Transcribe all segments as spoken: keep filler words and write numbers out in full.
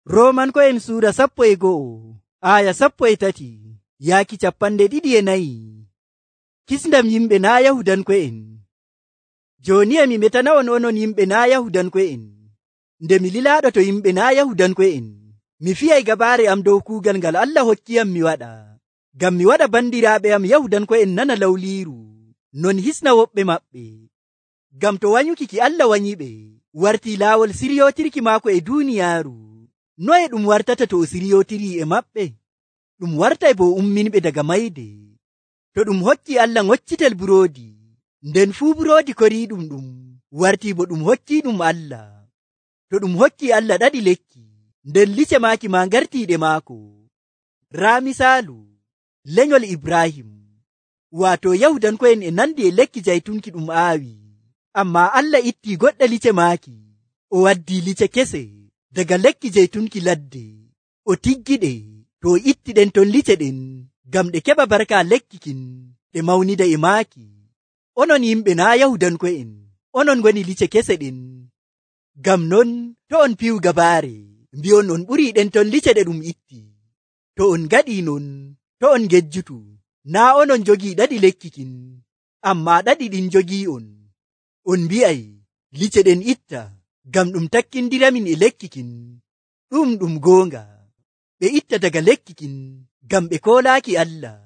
Roomanko'en suura sappo e go'o aya sappo e tati yaaki capanɗe ɗiɗi e nayi. Kisndam yimɓe naa Yahudanko'en. Jooni e mi metana'on onon yimɓe naa Yahudanko'en. Nde mi lilaaɗo to yimɓe naa Yahudanko'en, mi fiyay gabaare am dow kuugal ngal Allah hokkiyam mi waɗa, ngam mi waɗa bandiraaɓe am Yahudanko'en nana lawliiru, non hisna woɓɓe maɓɓe. Ngam to wanyuki ki Allah wanyiɓe wartii laawol siriyootirki maako e duuniyaaru, noye ɗum wartata to o siriyootirii e maɓɓe? Ɗum wartay bo umminɓe daga mayde. To ɗum hokki Allah ngoccitel buroodi, nden fuu buroodi koriiɗum ɗum wartii bo ɗum hokkiiɗum Allah. To ɗum hokki Allah ɗaɗi lekki, nden lice maaki ma ngartiiɗe maako. Raa misaalu lenyol Ibrahim, waato Yahudanko'en e nandi e lekki jaytunki ɗum aawi, ammaa Allah ittii goɗɗe lice maaki, o waddii lice kese daga lekki jaytunki ladde, o tiggiɗe to o itti ɗen ton lice ɗen ngam ɗe keɓa barka lekki kin ɗe mawnida e maaki. Onon yimɓe naa Yahudanko'en, onon ngoni lice kese ɗen. Ngam non to on piyu gabaare mbi'on on ɓurii ɗen ton lice ɗe ɗum itti. To on ngaɗii non, to on ngejjutu, naa onon jogii ɗaɗi lekki kin, ammaa ɗaɗi ɗin jogii on. On mbi'ay lice ɗen itta ngam ɗum takkindiramin e lekki kin. Ɗum ɗum goonga, ɓe itta daga lekki kin ngam ɓe koolaaki Allah,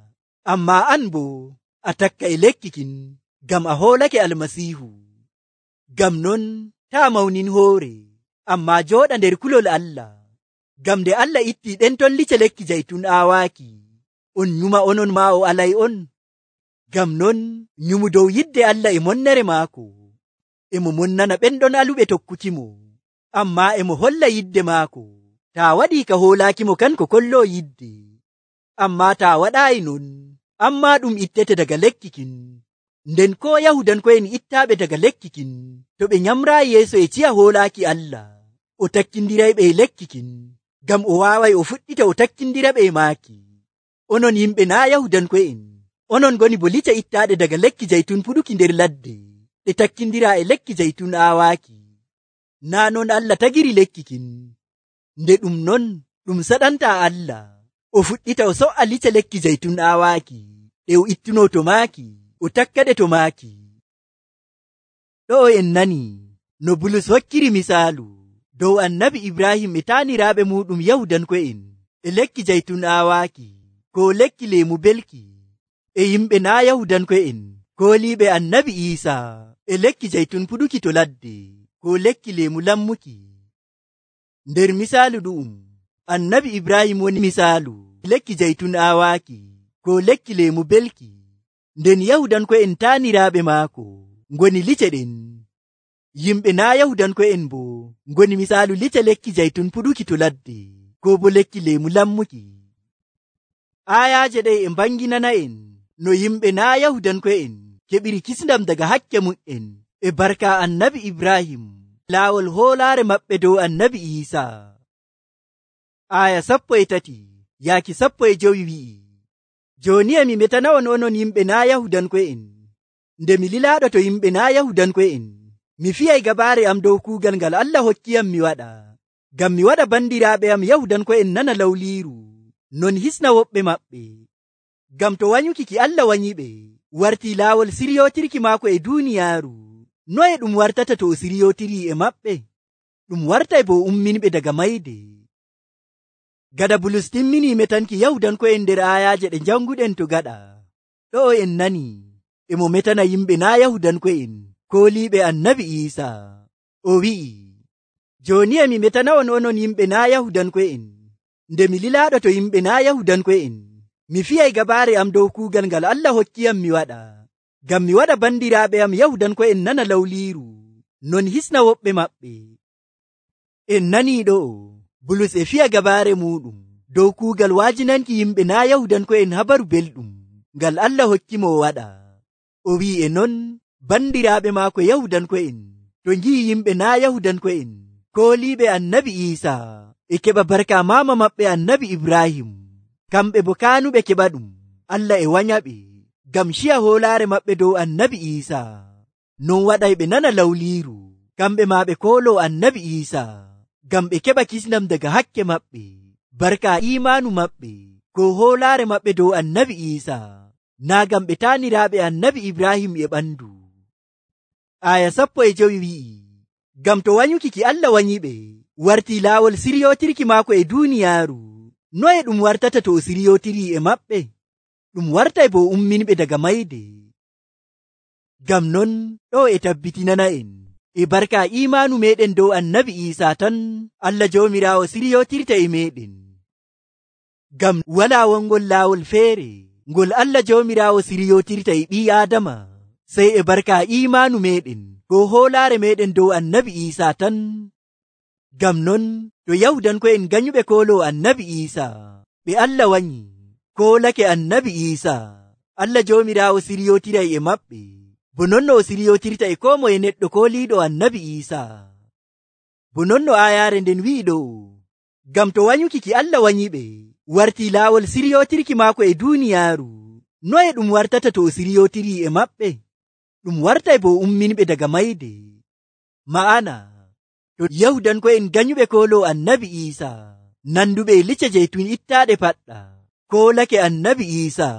ammaa an boo a takka e lekki kin ngam a hoolake Almasiihu. Ngam non taa mawnin hoore, ammaa jooɗa nder kulol Allah, ngam nde Allah ittii ɗen ton lice lekki jaytun aawaaki, on nyuma onon maa o alay on. Ngam non nyumu dow yidde Allah e monnere maako. E mo monnana ɓenɗon aluɓe tokkukimo, ammaa e mo holla yidde maako. Taa waɗii ka hoolaakimo kanko kolloo yidde, ammaa taa waɗaayi non, ammaa ɗum ittete daga lekki kin. Nden koo Yahudanko'en ittaaɓe daga lekki kin, to ɓe nyamraayi yeeso e ciya hoolaaki Allah, o takkindirayɓe e lekki kin, ngam o waaway o fuɗɗita o takkindiraɓe e maaki. Onon yimɓe naa Yahudanko'en, onon ngoni bo lice ittaaɗe daga lekki jaytun puɗuki nder ladde, ɗe takkindiraa e lekki jaytun aawaaki. Naa non Allah tagiri lekki kin. Nde ɗum non ɗum saɗantaa Allah o fuɗɗita o so'a lice lekki jaytun aawaaki, ɗe o ittunoo to maaki, o takkaɗe to maaki. Ɗo'o en nani no Bulus hokkiri misaalu dow annabi Ibrahim e taaniraaɓe muuɗum Yahudanko'en e lekki jaytun aawaaki, ko lekki leemu belki, e yimɓe naa Yahudanko'en kooliiɓe annabi Iisaa e lekki jaytun puɗuki to ladde, ko lekki leemu lammuki. Nder misaalu ɗu'um, annabi Ibrahim woni misaalu lekki jaytun aawaaki, ko lekki leemu belki, nden Yahudanko'en taaniraaɓe maako ngoni lice ɗen. Yimɓe naa Yahudanko'en bo ngoni misaalu lice lekki jaytun puɗuki to ladde, ko bo lekki leemu lammuki. Aayaaje ɗe e mbanginana'en no yimɓe naa Yahudanko'en keɓiri kisndam daga hakke mu'en e barka annabi Ibrahim, laawol hoolaare maɓɓe dow annabi Iisaa. Aya sappo e tati yaaki sappo e jowi wi'i, jooni e mi metana'on onon yimɓe naa Yahudanko'en. Nde mi lilaaɗo to yimɓe naa Yahudanko'en, mi fiyay gabaare am dow kuugal ngal Allah hokkiyam mi waɗa, ngam mi waɗa bandiraaɓe am Yahudanko'en nana lawliiru, non hisna woɓɓe maɓɓe. Ngam to wanyuki ki Allah wanyiɓe wartii laawol siriyootirki maako e duuniyaaru, noye ɗum wartata to o siriyootirii e maɓɓe? Ɗum wartay bo umminɓe daga mayde. Gada Bulus timminii metanki Yahudanko'en nder aayaaje ɗe janguɗen to gaɗa, ɗo'o en nani e mo metana yimɓe naa Yahudanko'en kooliiɓe annabi Iisaa. O wi'i, jooni e mi metana'on onon yimɓe naa Yahudanko'en. Nde mi lilaaɗo to yimɓe naa Yahudanko'en, mi fiyay gabaare am dow kuugal ngal Allah hokkiyam mi waɗa, ngam mi waɗa bandiraaɓe am Yahudanko'en nana lawliiru, non hisna woɓɓe maɓɓe. En nanii ɗo'o Bulus e fiya gabaare muuɗum dow kuugal waajinanki yimɓe naa Yahudanko'en habaru belɗum ngal Allah hokkimo o waɗa. O wi'i e non bandiraaɓe maako Yahudanko'en to ngi'i yimɓe naa Yahudanko'en kooliiɓe annabi Iisaa e keɓa barka maama maɓɓe annabi Ibrahim, kamɓe bo kaanuɓe keɓa ɗum, Allah e wanyaɓe ngam ciya hoolaare maɓɓe dow annabi Iisaa. Non waɗay ɓe nana lawliiru, kamɓe maa ɓe kooloo annabi Iisaa, ngam ɓe keɓa kisndam daga hakke maɓɓe barka imaanu maɓɓe ko hoolaare maɓɓe dow annabi Iisa, naa ngam ɓe taaniraaɓe annabi Ibrahim e ɓandu. Aya sappo e jowi wi'i, ngam to wanyuki ki Allah wanyiɓe wartii laawol siryotirki maako e duuniyaaru, noye ɗum wartata to o siryotirii e maɓɓe? Ɗum wartay bo umminɓe daga mayde. Ngam non ɗo e tabbitinana en e barka imaanu meɗen dow annabi Iisa tan Allah Joomiraawo siryotirta e meɗen. Ngam walaa wongol laawol feere ngol Allah Joomiraawo siryotirta e ɓii Aadama sey e barka imaanu meɗen ko hoolaare meɗen dow annabi Iisa tan. Ngam non to Yahudanko'en ganyuɓe kooloo annabi Iisa ɓe Allah wanyi koolake annabi Iisa, Allah Joomiraawo siryotiray e maɓɓe bo non no o siryotirta e koo moye neɗɗo kooliiɗo annabi Iisa. Bo non no aayaare nden wi'i ɗo, ngam to wanyuki ki Allah wanyiɓe wartii laawol siryotirki maako e duuniyaaru, noye ɗum wartata to o siryotirii e maɓɓe? Ɗum wartay bo umminɓe daga mayde. Ma'ana to Yahudanko'en ganyuɓe kooloo annabi Iisa nanduɓe e licce jeytun ittaaɗe paɗɗa koolake annabi Iisa,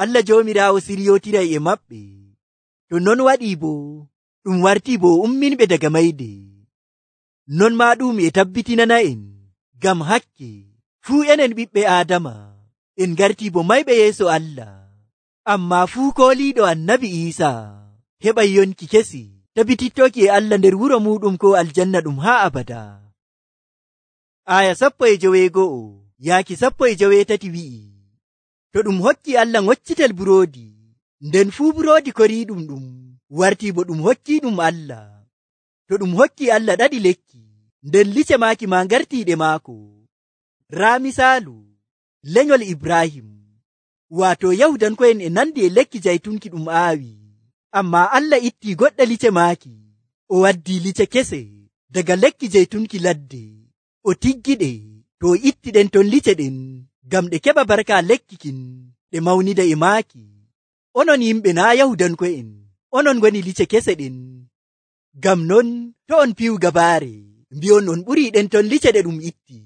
Allah Joomiraawo siryotiray e maɓɓe. To non waɗii bo ɗum wartii bo umminɓe daga mayde. Non maa ɗum e tabbitinana en ngam hakke fuu enen ɓiɓɓe Aadama en gartii bo mayɓe yeeso Allah, ammaa fuu kooliiɗo annabi Iisa heɓay yonki kesi tabbitittoki e Allah nder wuro muɗum ko aljanna ɗum haa abada. Aya sappo e joweego'o yaaki sappo e joweetati wi'i, to ɗum hokki Allah ngoccitel buroodi, nden fuu buroodi koriiɗum ɗum wartii bo ɗum hokkiiɗum Allah. To ɗum hokki Allah ɗaɗi lekki, nden lice maaki ma ngartiiɗe maako. Raa misaalu lenyol Ibrahim, waato Yahudanko'en e nandi e lekki jaytunki ɗum aawi, ammaa Allah ittii goɗɗe lice maaki, o waddii lice kese daga lekki jaytunki ladde, o tiggiɗe to o ittiɗen ton lice ɗen ngam ɗe keɓa barka lekki kin ɗe mawnida e maaki. Onon yimɓe naa Yahudanko'en, onon ngoni lice kese ɗen. Ngam non to on piyu gabaare mbi'on on ɓurii ɗen ton lice ɗe ɗum itti.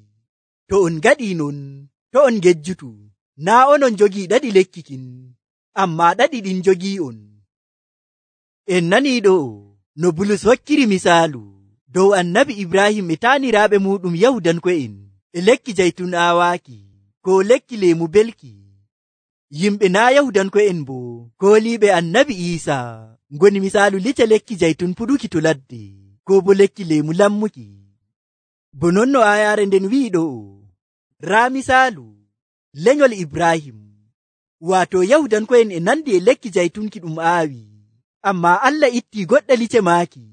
To on ngaɗii non, to on ngejjutu, naa onon jogii ɗaɗi lekki kin, ammaa ɗaɗi ɗin jogii on. En nanii ɗo no Bulus hokkiri misaalu dow annabi Ibrahim e taaniraaɓe muɗum Yahudanko'en e lekki jaytun aawaaki ko lekki leemu belki. Yimɓe naa Yahudanko'en bo kooliiɓe annabi Iisa ngoni misaalu lice lekki jaytun puɗuki to ladde ko bo lekki leemu lammuki. Bo non no aayaare nden wi'i ɗo, raa misaalu lenyol Ibrahim, waato Yahudanko'en e nandi e lekki jaytunki ɗum aawi, ammaa Allah ittii goɗɗe lice maaki,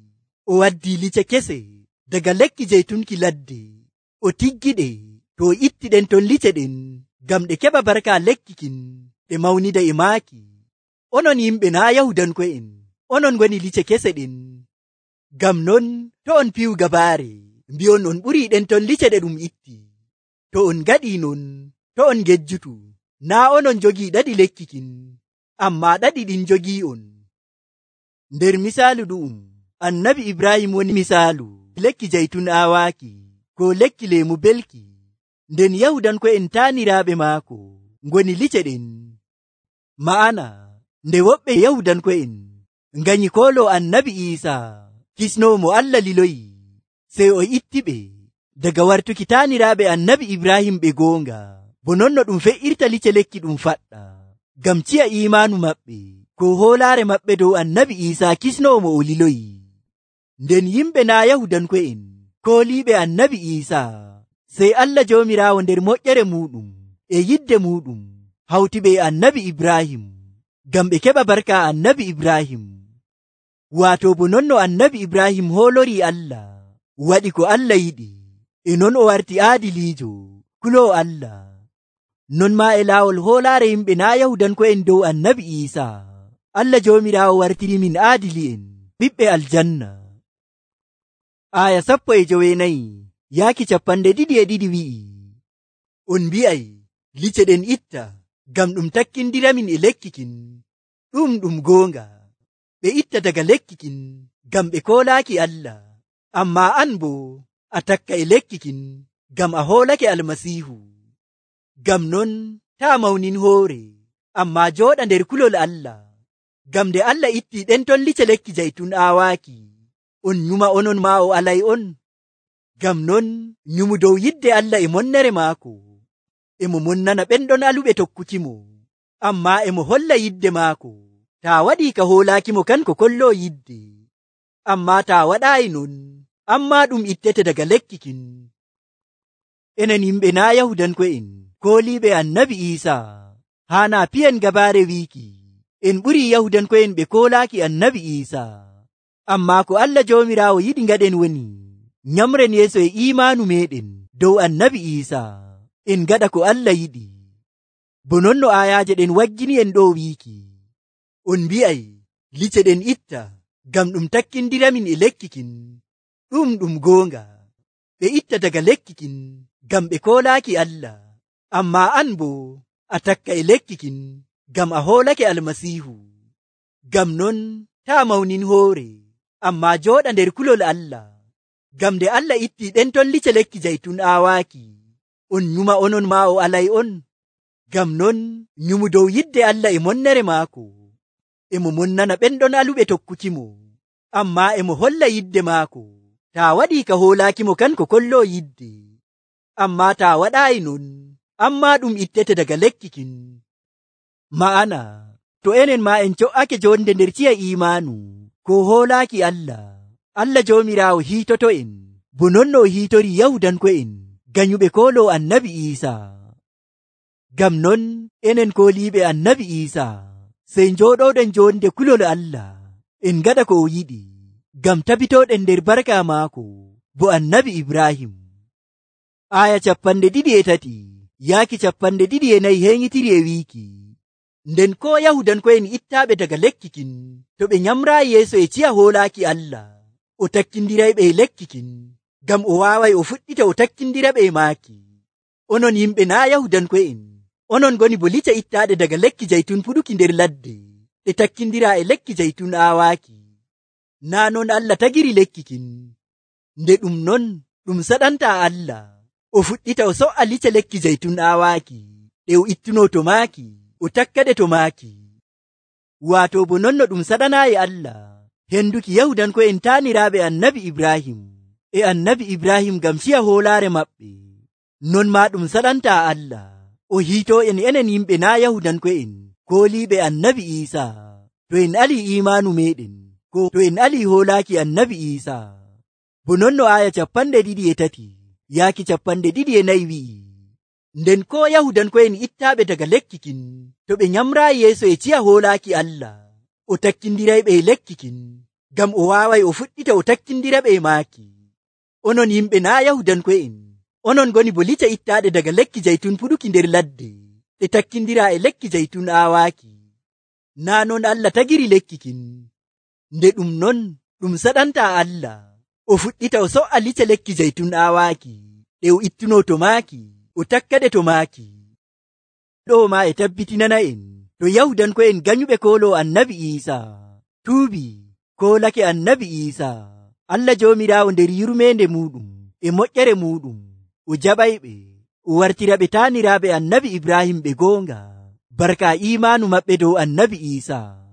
o waddii lice kese daga lekki jaytunki ladde, o tiggiɗe to o ittiɗen ton lice ɗen ngam ɗe keɓa barka lekki kin ɗe mawnida e maaki. Onon yimɓe naa Yahudanko'en, onon ngoni lice kese ɗen. Ngam non to on piyu gabaare mbi'on on ɓurii ɗen ton lice ɗe ɗum itti. To on ngaɗii non, to on ngejjutu, naa onon jogii ɗaɗi lekki kin, ammaa ɗaɗi ɗin jogii on. Nder misaalu ɗum annabi Ibrahim woni misaalu lekki jaytun aawaaki ko lekki leemu belki, nden Yahudanko'en taaniraaɓe maako ngoni lice ɗen. Ma'ana nde woɓɓe Yahudanko'en nganyi kooloo annabi Iisa kisnoomo Allah liloyi, sey o ittiɓe daga wartuki taaniraaɓe annabi Ibrahim ɓe goonga, bo non no ɗum fe'irta lice lekki ɗum faɗɗa ngam ciya imaanu maɓɓe ko hoolaare maɓɓe dow annabi Iisa kisnoomo o liloyi. Nden yimɓe naa Yahudanko'en kooliiɓe annabi Iisa, sey Allah Joomiraawo nder moƴƴere muɗum e yidde muɗum hawtiɓe e annabi Ibrahim ngam ɓe keɓa barka annabi Ibrahim. Waato bo non no annabi Ibrahim hoolorii Allah, waɗi ko Allah yiɗi, e non o warti aadiliijo kuloo Allah. Non maa e laawol hoolaare yimɓe naa Yahudanko'en dow annabi Iisa, Allah Joomiraawo wartiri min aadili'en ɓiɓɓe aljanna. Aya sappo e joweenayi yaaki capanɗe ɗiɗi e ɗiɗi wi'i, on mbi'ay lice ɗen itta ngam ɗum takkindiramin e lekki kin. Ɗum ɗum goonga, ɓe itta daga lekki kin ngam ɓe koolaaki Allah, ammaa an bo a takka e lekkikin ngam a hoolake almasiihu. Ngam non taa mawnin hoore, ammaa jooɗa nder kulol Allah. Ngam nde Allah ittii ɗen ton lice lekki jaytun aawaaki, on nyuma onon maa o alay on. Ngam non nyumu dow yidde Allah e monnere maako. E mo monnana ɓen ɗon aluɓe tokkukimo, ammaa e mo holla yidde maako. Taa waɗii ka hoolaakimo kanko kolloo yidde. Ammaa taa waɗaayi non, ammaa ɗum ittete daga lekkikin. Enen yimɓe naa Yahudanko'en kooliiɓe annabi Iisaa, haanaa piyen gabaare wiiki en ɓurii Yahudanko'en ɓe koolaaki annabi Iisaa. Ammaa ko Allah Joomiraawo yiɗi ngaɗen woni nyamren yeeso e iimaanu meeɗen dow annabi Iisaa, en ngaɗa ko Allah yiɗi. Bo non no aayaaje ɗen waggini en ɗo wiiki, on mbi'ay lice ɗen itta ngam ɗum takkindiramin e lekkikin. Ɗum ɗum goonga, ɓe itta daga lekkikin ngam ɓe koolaaki Allah, ammaa an boo a takka e lekkikin ngam a hoolake almasiihu. Ngam non taa mawnin hoore, ammaa jooɗa nder kulol Allah. Ngam nde Allah ittii ɗen ton lice lekki jaytun aawaaki, on nyuma onon maa o alay on. Ngam non nyumu dow yidde Allah e monnere maako. E mo monnana ɓen ɗon aluɓe tokkukimo, ammaa e mo holla yidde maako. Taa waɗii ka hoolaakimo kanko kolloo yidde. Ammaa taa waɗaayi non, ammaa ɗum ittete daga lekkikin. Ma'ana, to enen maa en co'ake jonde nder ciya iimaanu ko hoolaaki Allah, Allah Joomiraawo hiitoto en, bo non no o hiitori Yahudanko'en ganyuɓe kooloo annabi Iisaa. Ngam non enen kooliiɓe annabi Iisaa, sey njooɗooɗen jonde kulol Allah, en ngaɗa ko o yiɗi, ngam tabitooɗen nder barka maako bo annabi Ibrahim. Aya capanɗe ɗiɗi e tati yaaki capanɗe ɗiɗi e nayi heeŋitiri e wiiki, nden ko Yahudanko'en ittaaɓe daga lekkikin, to ɓe nyamraayi yeeso e ciya hoolaaki Allah, o takkindirayɓe e lekkikin, ngam o waaway o fuɗɗita o takkindiraɓe e maaki. Onon yimɓe naa Yahudanko'en, onon ngoni bo lice ittaaɗe daga lekki jaytun puɗuki nder ladde, ɗe takkindiraa e lekki jaytun aawaaki. Naa non Allah tagiri lekkikin, nde ɗum non ɗum saɗantaa Allah o fuɗɗita o so'a lice lekki jaytun aawaaki, ɗe o ittunoo to maaki, o takkaɗe to maaki. Waato bo non no ɗum saɗanaayi Allah henduki Yahudanko'en taaniraaɓe annabi Ibrahim e annabi Ibrahim ngam ciya hoolaare maɓɓe, non maa ɗum saɗantaa Allah o hiitoo en enen yimɓe naa Yahudanko'en kooliiɓe annabi Iisaa, to en alii iimaanu meeɗen, ko to en alii hoolaaki annabi Iisaa. Bo non no aya capanɗe ɗiɗi e tati yaaki capanɗe ɗiɗi e nayi wi'i, nden ko Yahudanko'en ittaaɓe daga lekkikin, to ɓe nyamraayi yeeso e ciya hoolaaki Allah, o takkindirayɓe e lekkikin, ngam o waaway o fuɗɗita o takkindiraɓe e maaki. Onon yimɓe naa Yahudanko'en, onon ngoni bo lice ittaaɗe daga lekki jaytun puɗuki nder ladde, ɗe takkindiraa e lekki jaytun aawaaki. Naa non Allah tagiri lekkikin, nde ɗum non ɗum saɗantaa Allah o fuɗɗita o so'a lice lekki jaytun aawaaki, ɗe o ittunoo to maaki, o takkaɗe to maaki. Ɗo maa e tabbitinana en, to Yahudanko'en ganyuɓe kooloo annabi Iisaa tuubi koolake annabi Iisaa, Allah Joomiraawo nder yurmeende muuɗum e moƴƴere muuɗum o jaɓayɓe, o wartira ɓe taaniraaɓe annabi Ibrahim ɓe goonga, barka iimaanu maɓɓe dow annabi Iisaa.